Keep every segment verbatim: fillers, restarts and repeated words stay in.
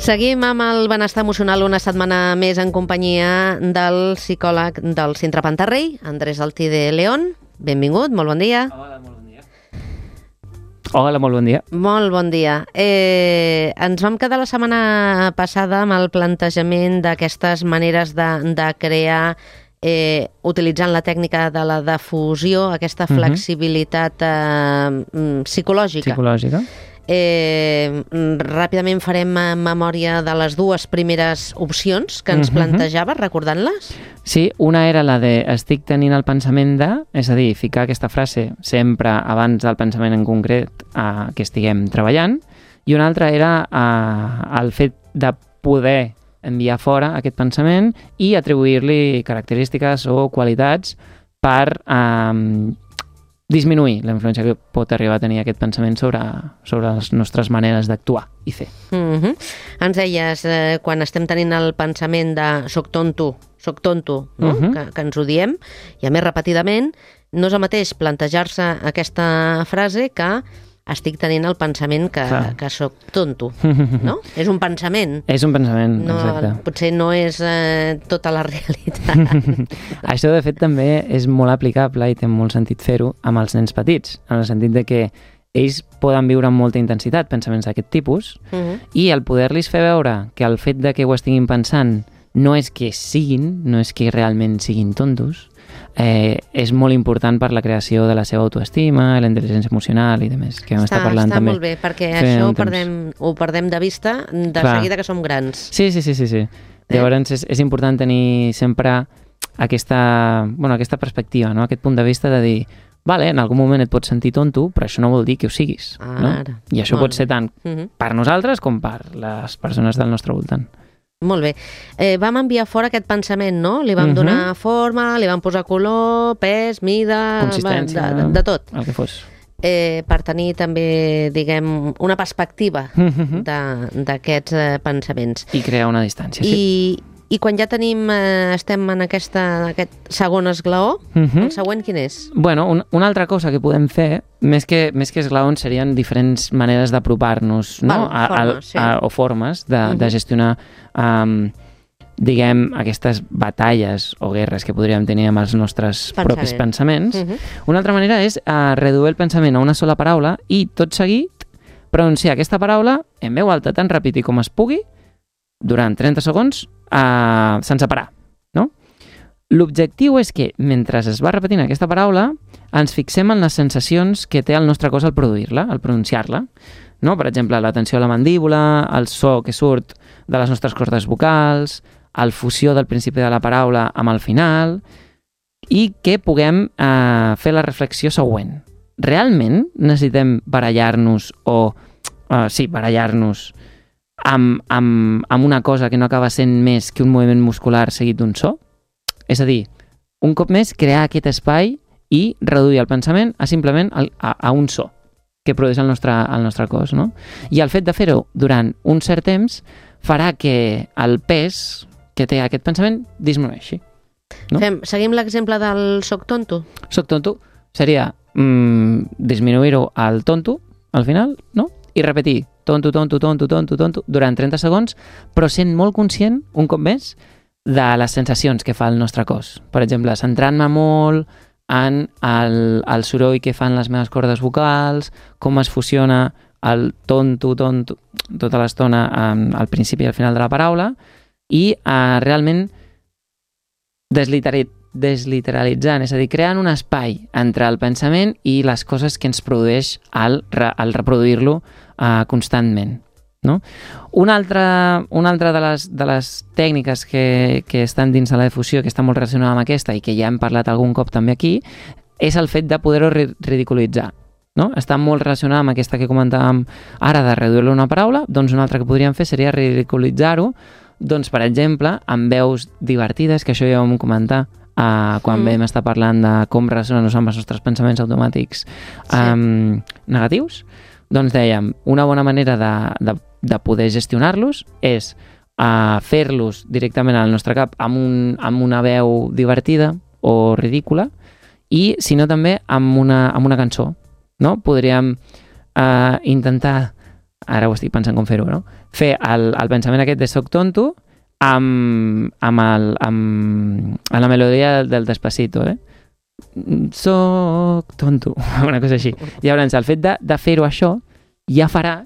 Seguim amb el benestar emocional una setmana més en companyia del psicòleg del Centre Pantarrey, Andrés Altide León. Benvingut, molt bon dia. Hola, molt bon dia. Hola, molt bon dia. Molt bon dia. Eh, ens vam quedar la setmana passada amb el plantejament d'aquestes maneres de, de crear, eh, utilitzant la tècnica de la difusió, aquesta flexibilitat eh, psicològica. Psicològica. Eh, ràpidament farem memòria de les dues primeres opcions que ens uh-huh. plantejaves, recordant-les? Sí, una era la de estic tenint el pensament de, és a dir, ficar aquesta frase sempre abans del pensament en concret eh, que estiguem treballant, i una altra era eh, el fet de poder enviar fora aquest pensament i atribuir-li característiques o qualitats per eh, disminuir la influència que pot arribar a tenir aquest pensament sobre, sobre les nostres maneres d'actuar i fer. Uh-huh. Ens deies, eh, quan estem tenint el pensament de soc tonto, soc tonto, no? uh-huh. que, que ens ho diem, i a més repetidament, no és el mateix plantejar-se aquesta frase que estic tenint el pensament que, que soc tonto, no? És un pensament. És un pensament, no, exacte. Potser no és eh, tota la realitat. Això, de fet, també és molt aplicable i té molt sentit fer-ho amb els nens petits, en el sentit de que ells poden viure amb molta intensitat pensaments d'aquest tipus uh-huh. i el poder-los fer veure que el fet de que ho estiguin pensant no és que siguin, no és que realment siguin tontos, Eh, és molt important per la creació de la seva autoestima, la intel·ligència emocional i demés, que vam està, estar parlant està també. Està molt bé, perquè això ho perdem, ho perdem de vista de Clar. seguida que som grans. Sí, sí, sí, sí. sí. Eh? Llavors és, és important tenir sempre aquesta, bueno, aquesta perspectiva, no? Aquest punt de vista de dir, vale, en algun moment et pots sentir tonto, però això no vol dir que ho siguis. Ah, no? Ara. I això molt pot ser tant uh-huh. per nosaltres com per les persones del nostre voltant. Molt bé. Eh, vam enviar fora aquest pensament, no? Li vam uh-huh. donar forma, li vam posar color, pes, mida... Consistència, de, de, de tot. El que fos. Eh, per tenir també, diguem, una perspectiva uh-huh. d'aquests eh, pensaments. I crear una distància, I, sí. I quan ja tenim, eh, estem en aquesta, aquest segon esglaó, uh-huh. el següent quin és? Bueno, un, una altra cosa que podem fer, més que, més que esglaons, serien diferents maneres d'apropar-nos, no? Val, a, formes, sí. a, a, o formes de, uh-huh. de gestionar, um, diguem, aquestes batalles o guerres que podríem tenir amb els nostres Pensament. propis pensaments. Uh-huh. Una altra manera és uh, reduir el pensament a una sola paraula i, tot seguit, pronunciar aquesta paraula en veu alta tan ràpid i com es pugui durant trenta segons uh, sense parar, no? L'objectiu és que, mentre es va repetint aquesta paraula, ens fixem en les sensacions que té el nostre cos al produir-la, al pronunciar-la, no? Per exemple, la tensió a la mandíbula, el so que surt de les nostres cordes vocals, el fusió del principi de la paraula amb el final, i que puguem uh, fer la reflexió següent. Realment necessitem barallar-nos o... Uh, sí, barallar-nos Amb, amb, amb una cosa que no acaba sent més que un moviment muscular seguit d'un so? És a dir, un cop més, crear aquest espai i reduir el pensament a simplement a, a, a un so que produeix el nostre, el nostre cos, no? I el fet de fer-ho durant un cert temps farà que el pes que té aquest pensament disminueixi. No? Fem, seguim l'exemple del soc tonto? Soc tonto seria mm, disminuir-ho al tonto, al final, no? I repetir tonto, tonto, tonto, tonto, tonto, durant trenta segons, però sent molt conscient, un cop més, de les sensacions que fa el nostre cos. Per exemple, centrant-me molt en el, el soroll que fan les meves cordes vocals, com es fusiona el tonto, tonto, tota l'estona al principi i al final de la paraula, i uh, realment desliterar, desliteralitzant, és a dir, creant un espai entre el pensament i les coses que ens produeix al, al reproduir-lo uh, constantment. No? Una altra, una altra de, les, de les tècniques que, que estan dins de la difusió, que està molt relacionada amb aquesta i que ja hem parlat algun cop també aquí, és el fet de poder-ho ridiculitzar. No? Està molt relacionada amb aquesta que comentàvem ara de reduir-lo una paraula, doncs una altra que podríem fer seria ridiculitzar-ho, doncs, per exemple, amb veus divertides, que això ja ho vam comentar uh, quan mm. vam estar parlant de com relacionar-nos amb els nostres pensaments automàtics um, sí. negatius. Doncs dèiem, una bona manera de, de, de poder gestionar-los és uh, fer-los directament al nostre cap amb, un, amb una veu divertida o ridícula i, si no, també amb una, amb una cançó. No? Podríem uh, intentar ara ho estic pensant com fer-ho, no? Fer el, el pensament aquest de soc tonto amb, amb, el, amb, amb la melodia del Despacito, eh? Soc tonto, una cosa així. Llavors, el fet de, de fer-ho això ja farà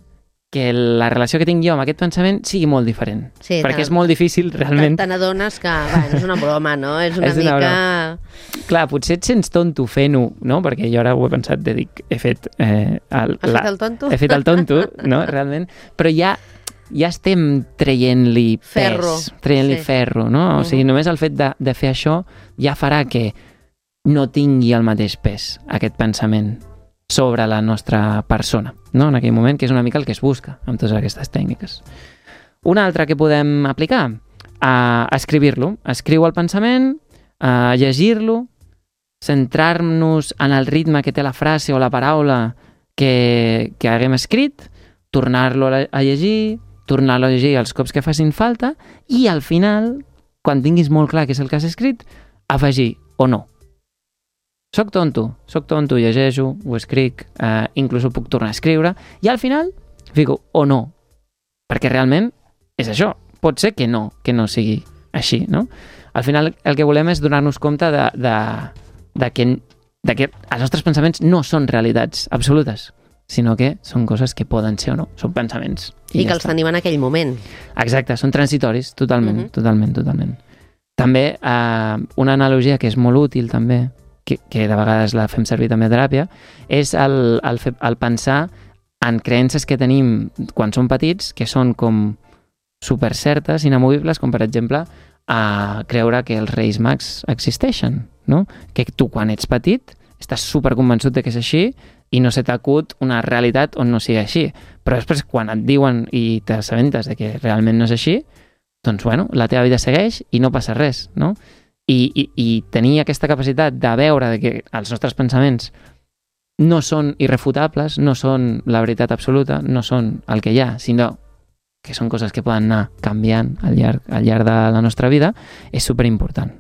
que la relació que tinc jo amb aquest pensament sigui molt diferent. Sí, perquè és molt difícil, realment. Te n'adones que, bueno, és una broma, no? És una és mica... Una Clar, potser et sents tonto fent-ho, no? Perquè jo ara ho he pensat, de dic, he fet... Eh, el, Has la... fet el tonto? He fet el tonto, no? Realment. Però ja, ja estem traient-li pes. Ferro. Traient-li sí. ferro, no? O sigui, només el fet de, de fer això ja farà que no tingui el mateix pes, aquest pensament, sobre la nostra persona, no? En aquell moment, que és una mica el que es busca amb totes aquestes tècniques. Una altra que podem aplicar, a escribir-lo. Escriu el pensament, a llegir-lo, centrar-nos en el ritme que té la frase o la paraula que, que haguem escrit, tornar-lo a, a llegir, tornar-lo a llegir els cops que facin falta i al final, quan tinguis molt clar què és el que has escrit, afegir o no. Soc tonto, soc tonto, llegeixo, ho escric, eh, inclús ho puc tornar a escriure, i al final fico o no, perquè realment és això. Pot ser que no, que no sigui així, no? Al final el que volem és donar-nos compte de, de, de, que, de que els nostres pensaments no són realitats absolutes, sinó que són coses que poden ser o no, són pensaments. I, I que els tenim en aquell moment. Exacte, són transitoris, totalment, uh-huh. totalment, totalment. També eh, una analogia que és molt útil també, que, que de vegades la fem servir també a teràpia, és el, el, fe, el pensar en creences que tenim quan som petits, que són com super certes, inamovibles, com per exemple a creure que els Reis Mags existeixen, no? Que tu quan ets petit estàs super convençut de que és així i no se t'acut una realitat on no sigui així. Però després quan et diuen i t'assabentes de que realment no és així, doncs bueno, la teva vida segueix i no passa res, no? I, i, i tenir aquesta capacitat de veure de que els nostres pensaments no són irrefutables, no són la veritat absoluta, no són el que hi ha, sinó que són coses que poden anar canviant al llarg, al llarg de la nostra vida, és superimportant.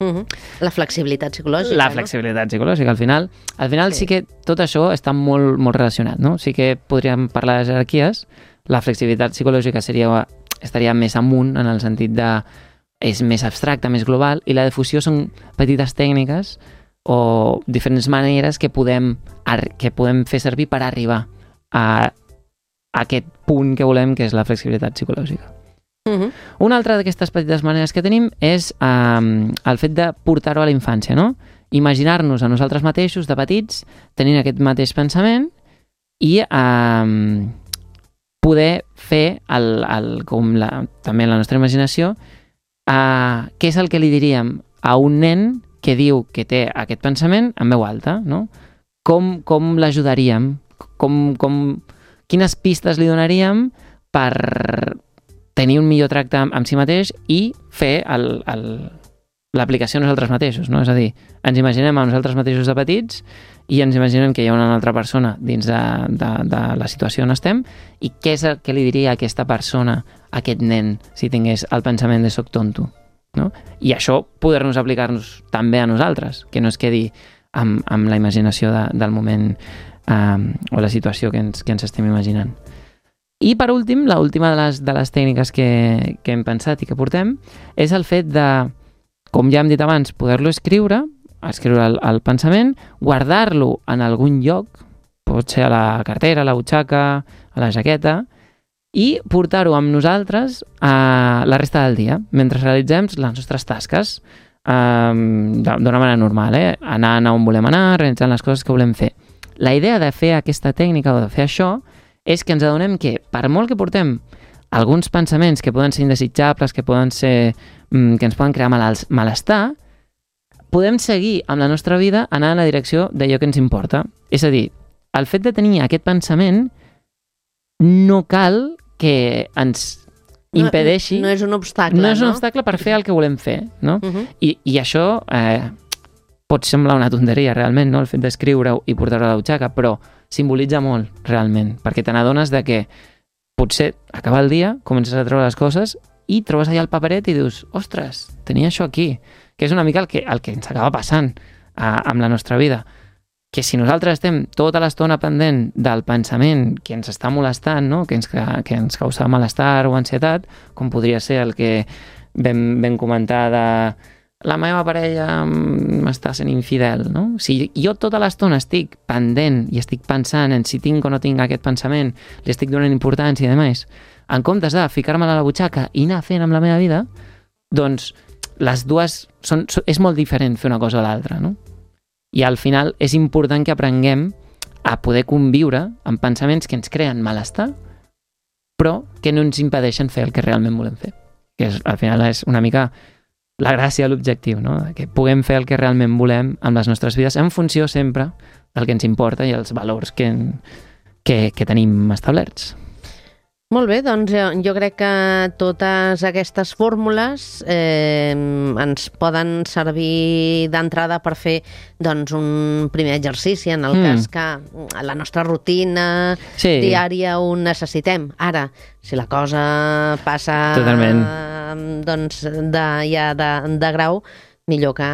Uh-huh. La flexibilitat psicològica, La flexibilitat no? psicològica, al final. Al final sí. sí que tot això està molt, molt relacionat, no? Sí que podríem parlar de jerarquies, la flexibilitat psicològica seria, estaria més amunt en el sentit de és més abstracte, més global, i la difusió són petites tècniques o diferents maneres que podem, que podem fer servir per arribar a, a aquest punt que volem, que és la flexibilitat psicològica. Uh-huh. Una altra d'aquestes petites maneres que tenim és um, el fet de portar-ho a la infància, no? Imaginar-nos a nosaltres mateixos, de petits, tenint aquest mateix pensament i um, poder fer el, el, com la, també la nostra imaginació Uh, què és el que li diríem a un nen que diu que té aquest pensament en veu alta, no? Com, com l'ajudaríem? Com, com, quines pistes li donaríem per tenir un millor tracte amb, amb si mateix i fer el, el, l'aplicació a nosaltres mateixos, no? És a dir, ens imaginem a nosaltres mateixos de petits i ens imaginem que hi ha una altra persona dins de, de, de la situació on estem i què és el que li diria a aquesta persona, a aquest nen, si tingués el pensament de soc tonto, no? I això poder-nos aplicar-nos també a nosaltres, que no es quedi amb, amb la imaginació de, del moment um, o la situació que ens, que ens estem imaginant. I per últim, l'última de les, de les tècniques que, que hem pensat i que portem és el fet de, com ja hem dit abans, poder-lo escriure, escriure el, el pensament, guardar-lo en algun lloc, pot ser a la cartera, a la butxaca, a la jaqueta, i portar-ho amb nosaltres a la resta del dia, mentre realitzem les nostres tasques um, d'una manera normal, eh? Anant on volem anar, realitzant les coses que volem fer. La idea de fer aquesta tècnica o de fer això és que ens adonem que, per molt que portem alguns pensaments que poden ser indesitjables, que poden ser que ens poden crear malestar, podem seguir amb la nostra vida anant en la direcció d'allò que ens importa. És a dir, el fet de tenir aquest pensament no cal que ens impedeixi... No, no és un obstacle, no? és un no? obstacle per fer el que volem fer, no? Uh-huh. I, I això eh, pot semblar una tonteria, realment, no? El fet d'escriure-ho i portar-ho a la butxaca, però simbolitza molt, realment, perquè te n'adones de que potser acaba el dia, comences a treure les coses i trobes allà el paperet i dius, ostres, tenia això aquí, que és una mica el que, el que ens acaba passant a, amb la nostra vida. que si nosaltres estem tota l'estona pendent del pensament que ens està molestant, no? que, ens, que ens causa malestar o ansietat, com podria ser el que vam, vam comentar de la meva parella m'està sent infidel, no? Si jo tota l'estona estic pendent i estic pensant en si tinc o no tinc aquest pensament, li estic donant importància i demés, en comptes de ficar-me-la a la butxaca i anar fent amb la meva vida, doncs les dues són, és molt diferent fer una cosa o l'altra, no? I al final és important que aprenguem a poder conviure amb pensaments que ens creen malestar, però que no ens impedeixen fer el que realment volem fer. Que és, al final és una mica la gràcia de l'objectiu, no? Que puguem fer el que realment volem amb les nostres vides en funció sempre del que ens importa i els valors que, que, que tenim establerts. Molt bé, doncs jo, jo crec que totes aquestes fórmules eh, ens poden servir d'entrada per fer doncs, un primer exercici en el mm. cas que la nostra rutina sí. diària ho necessitem. Ara, si la cosa passa Totalment. doncs, de, ja de, de grau, millor que,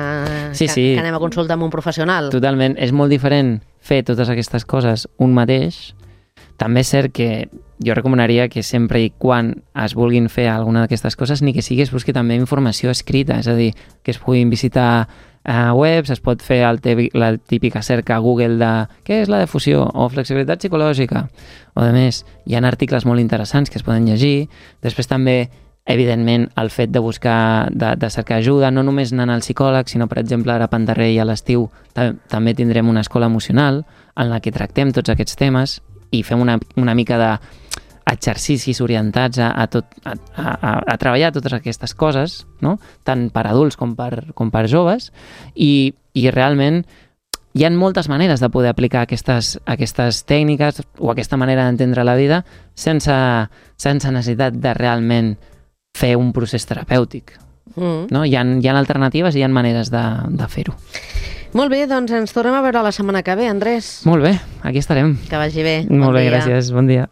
sí, que, sí. que anem a consultar amb un professional. Totalment. És molt diferent fer totes aquestes coses un mateix. També és cert que jo recomanaria que sempre i quan es vulguin fer alguna d'aquestes coses, ni que sigui es busqui també informació escrita, és a dir, que es puguin visitar uh, webs, es pot fer el te- la típica cerca a Google de què és la defusió o flexibilitat psicològica, o de més, hi ha articles molt interessants que es poden llegir. Després també, evidentment, el fet de buscar, de, de cercar ajuda, no només anant al psicòleg, sinó, per exemple, ara a Pantarrey a l'estiu tam- també tindrem una escola emocional en la que tractem tots aquests temes i fem una, una mica d'exercicis orientats a, a, tot, a, a, a treballar totes aquestes coses, no? Tant per adults com per, com per joves, i, i realment hi ha moltes maneres de poder aplicar aquestes, aquestes tècniques o aquesta manera d'entendre la vida sense, sense necessitat de realment fer un procés terapèutic. Mm. No? Hi ha, hi ha alternatives i hi ha maneres de, de fer-ho. Molt bé, doncs ens tornem a veure la setmana que ve, Andrés. Molt bé, aquí estarem. Que vagi bé. Molt bon bé, dia. gràcies. Bon dia.